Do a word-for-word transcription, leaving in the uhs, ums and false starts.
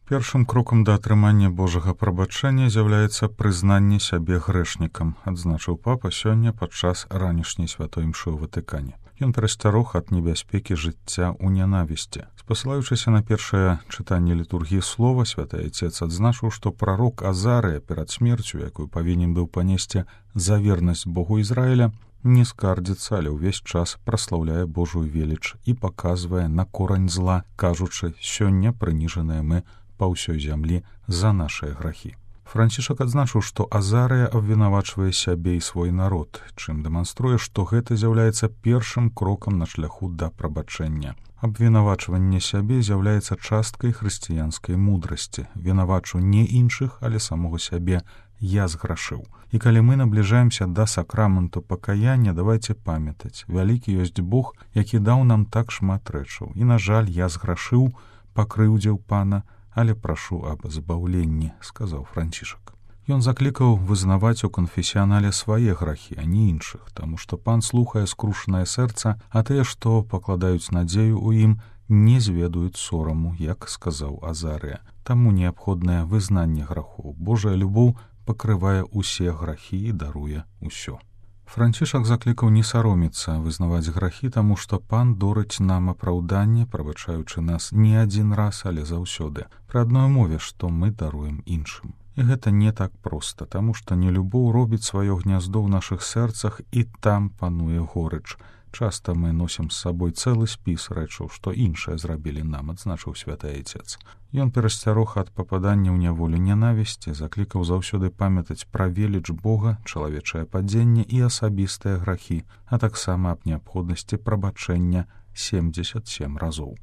Першым крокам да атрымання Божага прабачэння з'яўляецца прызнанне сябе грэшнікам, адзначыў папа сёння падчас ранішняй святой імшы ў Ватыкане. Ён перасцярог ад небяспекі жыцця ў нянавісці. Спасылаючыся на першае чытанне літургіі слова, святы айцец адзначыў, што прарок Азарыя перад смерцю, якую павінен быў панесці за вернасць Богу Ізраіля, не скардзіцца, але ўвесь час праслаўляе Божую веліч і паказвае на корань зла, кажучы: «Сёння прыніжаныя мы па ўсёй зямлі за нашыя грахі». Францішак адзначыў, што Азарыя абвінавачвае сябе і свой народ, чым дэманструе, што гэта з'яўляецца першым крокам на шляху да прабачэння. Абвінавачванне сябе з'яўляецца часткай хрысціянскай мудрасці. Вінавачу не іншых, але самога сябе: «Я зграшыў». І калі мы набліжаемся да сакраменту пакаяння, давайце памятаць: вялікі ёсць Бог, які даў нам так шмат рэчаў. І, на жаль, я зграшыў, пакрыўдзіў Пана, але прашу аб збаўленні, сказаў Францішак. Ён заклікаў вызнаваць у канфесіянале свае грахі, а не іншых, таму што Пан слухае скрушанае сэрца, а тыя, што пакладаюць надзею ў ім, не зведаюць сораму, як сказаў Азарыя. Таму неабходнае вызнанне грахоў. Божая любоў пакрывае ўсе грахі і даруе ўсё. Францішак заклікаў не саромецца вызнаваць грахі, таму што Пан дорыць нам апраўданне, прабачаючы нас не адзін раз, але заўсёды, пры адной мове, што мы даруем іншым. І гэта не так проста, таму што нелюбоў робіць сваё гняздо ў нашых сэрцах, і там пануе горыч. Часта мы носім з сабой цэлы спіс рэчаў, што іншыя зрабілі нам, адзначыў святы айцец. Ён перасцярог ад пападання ў няволю нянавісці, заклікаў заўсёды памятаць пра веліч Бога, чалавечае падзенне і асабістыя грахі, а таксама аб неабходнасці прабачэння семдзесят сем разоў.